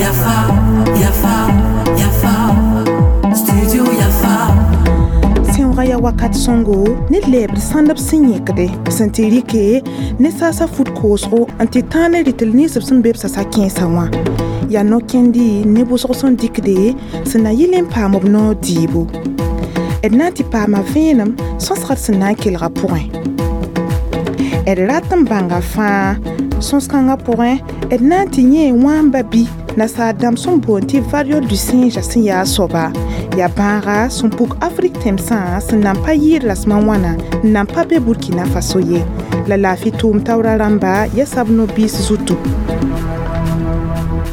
Yafa, Yafa, Yafa, Studio Yafa. Sẽoogã yaa wakat sõngo ne lɛɛbd sãndb sẽn yẽkde sẽn tɩ rɩke ne saasa fut koosgo n tɩ tãag ne rɩtel nins b sẽn be b sasa kẽensã wã. Yaa no-kẽndi ne wʋsg sẽn dɩkde sẽn na yɩl n paam b noor dɩɩbo. D na n tɩ paama vẽenem sõsgd sẽn na n kelga pʋgẽ. D rat n bãnga fãa sõs-kãngã pʋgẽ d na n tɩ yẽ wãamba bɩ nasaar dãmb sẽn boond tɩ variole du singe sẽn yaa a soaba yaa bãaga sẽn puk Afrik tẽmsã sẽn nan pa yɩɩd rasem a wãna n nan pa be Burkina Faso ye la laafɩ tʋʋm taoora rãmba ya sab no-biis zutu.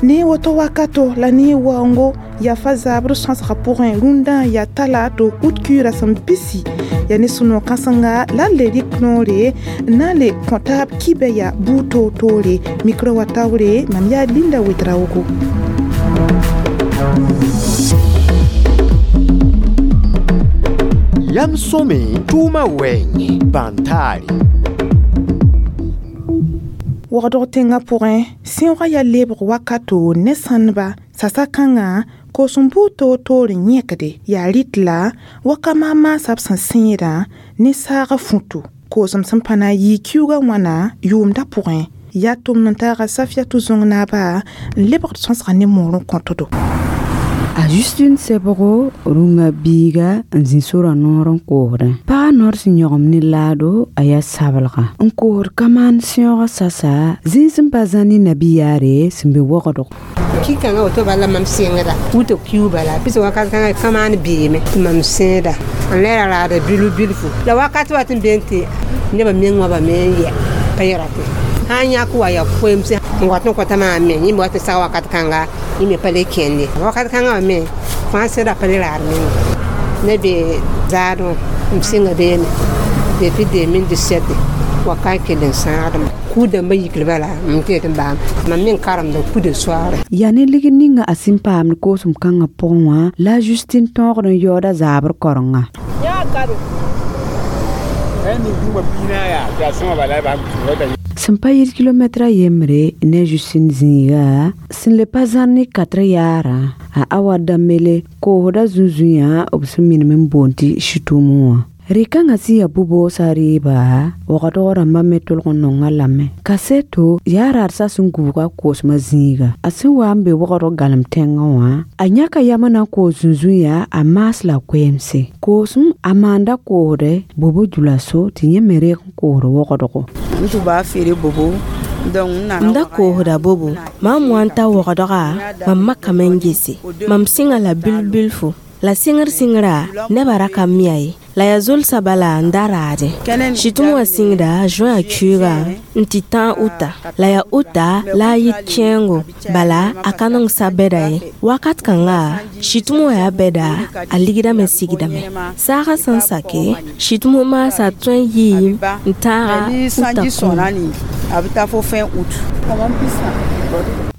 Ne woto wakato la ne waoongo yafa zabr sõsgã pʋgẽ rũndã yaa talato ut kuiirã sẽn bisi yaa ne sũ-noog kãsenga la n le rɩk noore n na n le kõ taab kibɛ yaa buud toor-toore mikro wa taoore mam yaa Linda Ouedraogo. Yam sõme tʋʋmã wɛɛngẽ bãn-taare. Wagdg tẽngã pʋgẽ sẽoogã yaa lebg wakato ne sãndba sasa kãngã koosem buud toor-toor n yẽkde yaa rɩt la wakama maasa b sẽn sẽedã ne saagã futu koosem sẽn pa na n yɩ kiuugã wãna yʋʋmdã pʋgẽ yaa tʋmd n taaga Safiatou Zõng-naaba n lebgd sõsgã ne moor n kõtdo. A Justine Sebgo rũngã biiga n zĩ sora noor n koosdẽ. Pagã noor sẽn yõgem ne laado a yaa sabelga n koosd kamaan sẽoogã sasa zĩig sẽn pa zã ne nabiyaare sẽn be wagdg. Ki-kãngã woto bala mam sẽngda wʋtg kiu bala pis wakat kãngã kamaan beeme tɩ mam sẽeda n le ra raada bilf bilfu la wakat wa tɩ n been tɩ nebã meng wã bame n yɛ pa yɛra tɩ sã n yãk wa yaa koeemse n wat n kõta maam me yẽ me wat n sag wakat kãnga yẽ me pa le kẽnde wakat kãngã wã me fãa sẽda pa le raad menga ne be zaadẽ m sɩnga beene depuis 2017 wakat kell n sãagdme kuu-dãmbã yikl bala m tɩ n baam mam meng karemda kuda soaare. Yaa ne ligd ninga a sẽn paamd koosem kãngã pʋgẽ wã la a Justine tõogd n yaooda zaabr karenga. Sẽn pa yit kilomɛtra yembre ne Justine zĩiga sẽn le pa zãr ne katre yaarã a Awa Dambele koosda zũn-zũyã b sẽn minim n boond tɩ Sɩtʋʋmẽ wã. Rɩ-kãngã sẽn yaa bʋ-boosã rɩɩba wagdg rãmbã me tʋlg n nonga lame. Kaseto yaa raadsa sẽn gubga koosmã zĩiga. A sẽn wa n be wagdg galem tẽngã wã a yãka yam n na n koos zũn-zũyã a maas la koeemse. Koosem a maanda koosdɛ bobo djulaso tɩ yẽ me reeg n koosd wagdgo. M da koosda bobo mam wa n ta wagdga mam makame n gese mam sɩnga la bilf bilfu la sɩngr sɩngra nebã ra ka mia ye la yaa zolsã bala n da raadẽ. Sɩtʋm wã sɩngda juin a kuiiga n tɩ tãag uta la yaa uta la a yit kẽengo bala a ka nong sa bɛda ye wakat kãnga sɩtʋm wã yaa bɛda a ligdame sigdame saagã sẽn sake sɩtʋm maasa tõe n yɩɩm n tãaga uta kũum.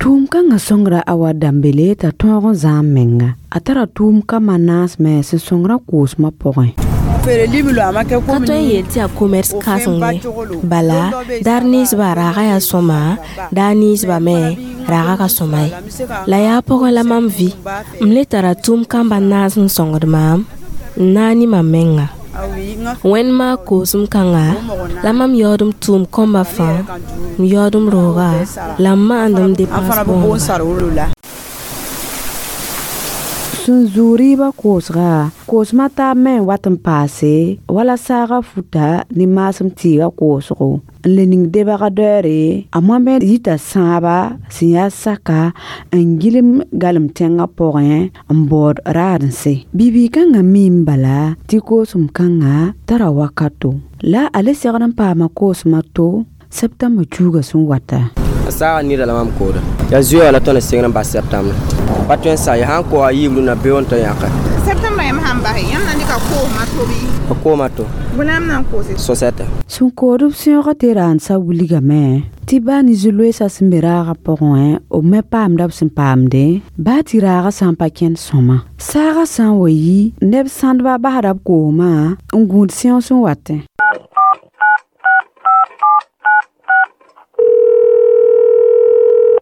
Tʋʋm kãngã sõngra Awa Dambele t'a tõog n zãam menga. A tara tʋʋm kambã naas me sẽn sõngrã koosmã pʋgẽ. Ka tõe n yeel tɩ yaa commerce kãseng ye bala daar ninsbã raagã yaa sõma daar ninsbã me raagã ka sõma ye la yaa pʋgẽ la mam vɩ m le tara tʋʋm kambã naas n sõngd maam n naag ne mam menga. Wẽnd maag koosem kãnga la mam yaood m tʋʋm kõmba fãa m yaood m rooga la m maand m dépense bõoga. Sẽn zʋ rɩɩbã koosga koosmã taab me n wat n paase wala saagã futa ne maasem tɩɩgã koosgo n le ning debg doɛɛre a moamẽ yita sãaba sẽn yaa saka n gilem galem tẽngã pʋgẽ n baood raad-n-se. Bi-bii-kãngã miime bala tɩ koosem kãngã tara wakato la a le segd n paama koosmã to septembre cuuga sẽn wata. A saagã neda la mam kooda yaa zoeega la tõnd n sɩngd n bas septembre pa tõe n sa ye sãn koa yiib rũnã beoog n tɩ yãke. Septembre yãmb sãn base yãmb na n dɩka koosmã to bɩ? A kooma to. Bõe la yãmb na n koose? Sosɛtɛ. Sẽn kood b sẽoogã tɩ raandsã wilgame tɩ baa ne zu-loeesã sẽn be raagã pʋgẽ b me paamda b sẽn paamde baa tɩ raagã sã n pa kẽnd sõma. Saagã sã n wa yi neb sãndbã basda b koosmã n gũud sẽoog sẽn watẽ.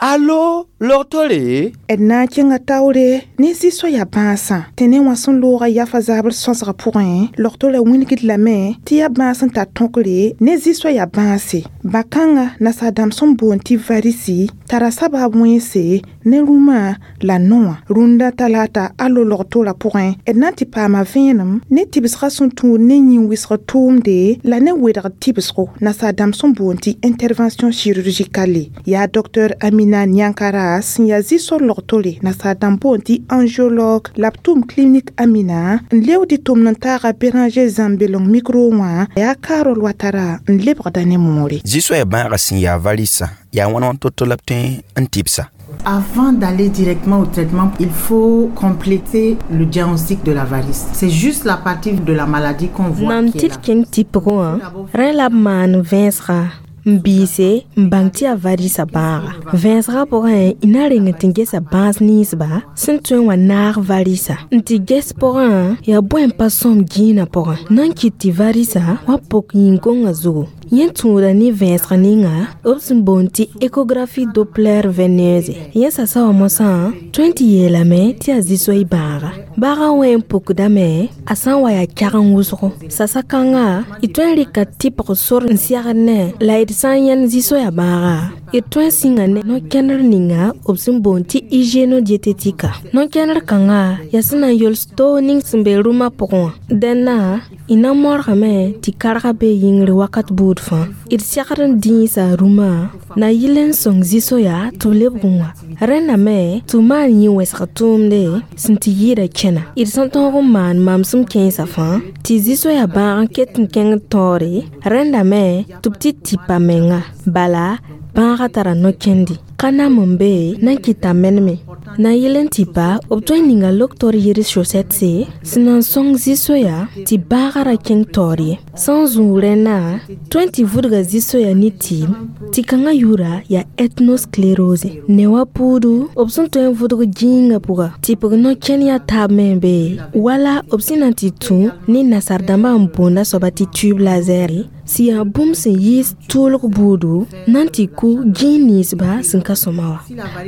Alo, logtore? D na n kẽnga taoore ne zĩ-soaya bãasã tɩ ne wã sẽn looga yafa zabr sõsgã pʋgẽ logtorã wilgd lame tɩ yaa bãas n tar tõkre ne zĩ-soaya bãase bã-kãngã nasaar-dãmb sẽn boond tɩ varisi tara sabaab wẽnse ne rũmã la noã rũndã talata alo logtorã pʋgẽ d na n tɩ paama vẽenem ne tɩbsgã sẽn tũud ne yĩn-wɩsg tʋʋmde la ne wedgd tɩbsgo nasaar-dãmb sẽn boond tɩ intervention chirurgicale yaa docteur Amina Nyankara sẽn yaa zĩ-sor logtore nasaar-dãmb boond tɩ angiologue la b tʋm clinique Amina n leood tʋmd n taaga Béranger Zãmbelong micro wã yaa Carole Ouattara n lebgda ne moore. Zĩ-soaya bãagã sẽn yaa varisa yaa wãn wãn to-to la b tõe n tɩbsa. Avant d'aller directement au traitement, il faut compléter le diagnostic de la varice. C'est juste la partie de la maladie qu'on voit Nan qui est tɩ là. d kẽng tɩpgẽ wã rẽ la b maan vẽesga n biise n bãng tɩ yaa varisa bãaga vẽesgã pʋgẽ y na reng tɩ gesa bãas ninsba sẽn tõe n wa naag varisa n tɩ ges pʋgã yaa bõe n pa sõm gĩinã pʋgẽ na n kɩt tɩ varisa wa pok yĩn-gõngã zugu yẽ tũuda ne vẽesg ninga b sẽn boond tɩ échographie Doppler veineuse yẽ sasa wã mosã tõe n tɩ yeelame tɩ yaa zĩ-soay bãaga baaga wẽ n pukdame a sã n wa yaa kɛgn wʋsgo sasa kãnga y tõe n rɩka tɩpg sor n segd ne la d sã n yãnd zĩ-soaya bãaga d tõe n sĩnga ne no-kẽndr ninga b sẽn boond tɩ hygiéno-diététique no-kẽndr kãnga yaa sẽn na n yols toog ning sẽn be rũmã pʋgẽ wã dẽnna y na modgame tɩ karga bee yĩngri wakat buud fãa d segd n dĩisa rũmã na yɩl n sõng zĩ-soya tɩ b lebg n wa rẽnda me tɩ b maan yĩ-wɛsg tʋʋmde sẽn tɩ yɩɩda kẽna d sẽn tõog n maan mamsem kẽensã fãa tɩ zĩ-soaya bãag n ket n kẽngd taoore rẽnda me tɩ b tɩ tipa menga bala bãagã tara no-kẽndi ka nam n be na n kɩta meneme na yɩl n tɩpa b tõe n ninga loktor yɩrs chaussette sẽn na n sõng zĩ-soya tɩ bãagã ra kẽng taoor ye sã n zũug rẽnna tõe n tɩ vʋdga zĩ-soya ne tɩɩm tɩ kãngã yʋʋra yaa ethnosclérose ne wa puudu b sẽn tõe n vʋdg gĩingã pʋga tɩpg no-kẽn yaa taab me n be wala b sẽn na n tɩ tũ ne nasaar-dãmbã n boonda soaba tɩ tube laser sẽn yaa bũmb sẽn yiis tʋʋlg buudu na n tɩ kʋ gĩig ninsba sẽn ka sõma wã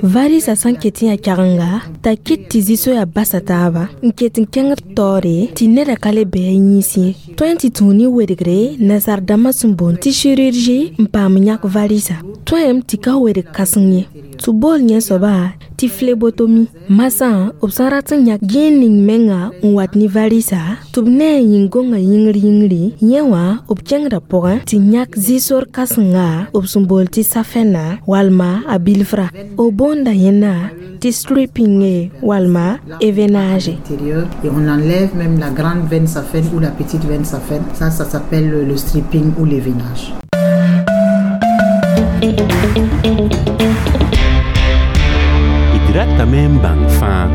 varisa sã n ket n yaa kɛgenga t'a kɩt tɩ zĩ-soya basa taaba n ket n kẽngd taoore tɩ neda ka le bɩ a yĩns ye tõe n tɩ tũu ne wedgre nasaar-dãmbã sẽn boond tɩ chirurgie n paam yãk varisa tõem tɩ ka wedg kãseng ye tɩ bool yẽ soaba tɩ phlébotomie masã b sã n rat n yãk gĩig ning menga n wat ne varisa tɩ b ne a yĩn-gõngã yĩngr yĩngri yẽ wã b kẽngda pʋgẽ tɩ yãk zĩ-sor kãsenga b sẽn bool tɩ safɛna walma a bilfra b boonda yẽnda tɩ stripping walma éveinage. Intérieur, et on enlève même la grande veine saphène ou la petite veine saphène. Ça s'appelle le stripping ou l'éveinage. D ratame n bãng fãa.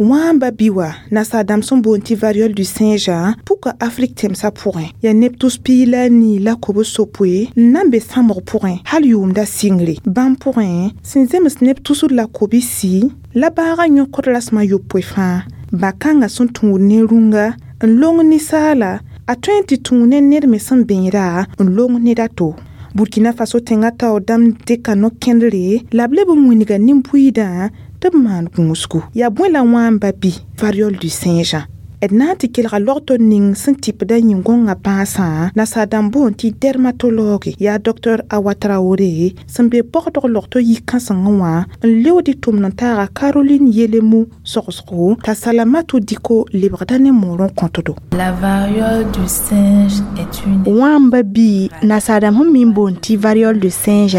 Wãmba bi wa nasaar-dãmb sẽn boond tɩ variole du singe pʋka Afrik tẽmsã pʋgẽ yaa neb tus piig la a nii la kob-sopoe n na n be sãmg pʋgẽ hal yʋʋmda sɩngre bãmb pʋgẽ sẽn zems neb tusd la kob-si la bãagã yõkd rasem a yopoe fãa bã-kãngã sẽn tũud ne rũnga n long ninsaala a tõe n tɩ tũu ne ned me sẽn bẽeda n long ned a to Burkina Faso tẽngã taoor dãmb dɩka no-kẽndre la b leb n wilga nin-buiidã tɩ b maan gũusgu yaa bõe la wãmba bɩ variole du singe d na n tɩ kelga logtor ning sẽn tɩpda yĩn-gõngã bãasã nasaar-dãmb boond tɩ dermatologue yaa docteur Awa Traoré sẽn be bɔgdg logto yik-kãsengẽ wã n leood tʋmd n taaga Caroline Yelemu sogsgo t'a Salamatu Diko lebgda ne moor n kõtdo. La variole du singe est une Wãmba bii nasaar-dãmb sẽn mi n boond tɩ variole de singe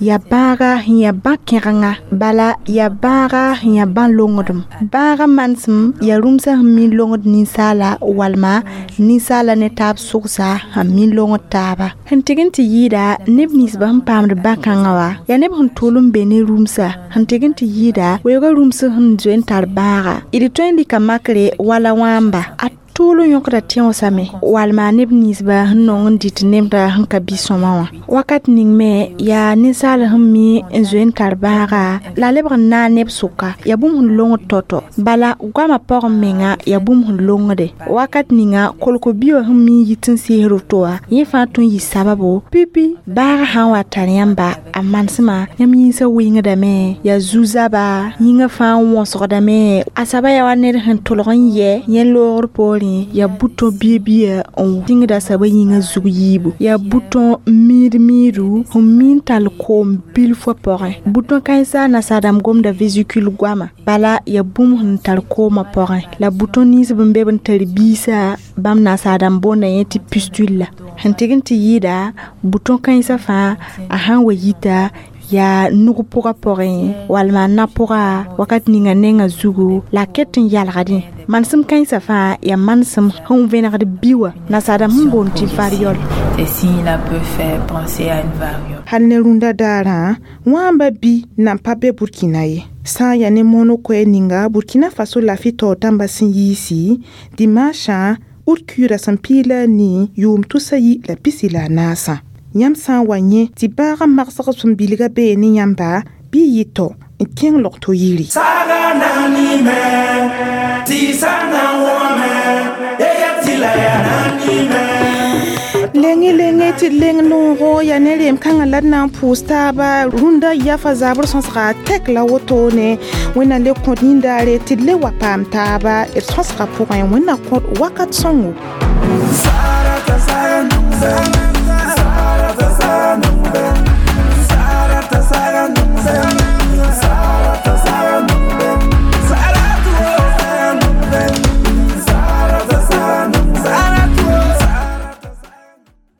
yaa bãaga sẽn yaa bã-kẽgenga bala yaa bãaga sẽn yaa bã-longdem bãaga manesem yaa rũmsã sẽn mi n longd ninsaala walma ninsaala ne taab sʋgsa sẽn mi n longd taaba sẽn tɩg n tɩ yɩɩda neb ninsbã sẽn paamd bã-kãngã wa yaa neb sẽn tʋʋl n be ne rũmsa sẽn tɩg n tɩ yɩɩda weooga rũms sẽn zoe n tar bãaga d tõe n rɩka makre wala wãmba a Tʋʋl n yõkda tẽosame walma neb ninsba sẽn nong n dɩt nemda sẽn ka bɩ sõma wã. Wakat ning me yaa ninsaal sẽn mi n zoe n tar bãaga la lebg n naag neb sʋka yaa bũmb sẽn longd tɔ-tɔ. Bala goamã pʋgẽ menga yaa bũmb sẽn longde. Wakat ninga kolk-bio sẽn mi n yit n sɩɩsd woto wã yẽ fãa tõe n yɩ sababo pipi bãagã sã n wa tar yãmba a manesmã yãmb yĩnsã wɩngdame yaa zu-zaba yĩngã fãa wõsgdame a saba yaa wa ned sẽn tʋlg n yɛ yẽ loogr poorẽ yaa bʋtõ bia-bia n tĩngda saba yĩngã zug yiibu yaa bʋtõ miid-miidu sẽn mi n tall koom bilfã pʋgẽ bʋtõ kãensa nasaadãmb gomda vésicule goama bala yaa bũmb sẽn tar koomã pʋgẽ la bʋtõ nins b n be b n tar biisã bãmb nasaadãmb boonda yẽ tɩ pustule la sẽn tɩg n tɩ yɩɩda bʋtõ kãensã fãa a sãn wa yita yaa nug pʋgã pʋgẽ walma na pʋga wakat ninga nengã zugu la a ket n yalgdẽ manesem kãensã fãa yaa manesem sẽn vẽnegd bi wã nasaadãmb sẽn boond tɩ variole. Ces signes-là peuvent faire penser à une variole. Hal ne rũndã daarã wãmba bi nan pa be Burkina ye. Sã n yaa ne mono koɛɛ ninga Burkina Faso lafi taoor dãmbã sẽn yiisi dimanchã ut kuuda sẽn piig la a nii yʋʋm tusa yi la pisi la a naasã. Yãmb sã n wa yẽ tɩ bãagã magsg sẽn bilga bee ne yãmba bɩ y yɩ tao n kẽng log-to yiri. Saga nani me, tisa na wome, eya tila ya nani me. Lenge lenge tɩ d leng noogo yaa ne reem kãngã la d na n pʋʋs taaba rũndã yafa zabr sõsga tɛk la wotone wẽnna le kõt yĩndaare tɩ d le wa paam taaba d sõsga pʋgẽ wẽnna kõt wakat sõngo. Sarata sanumbe, sarata sanumbe,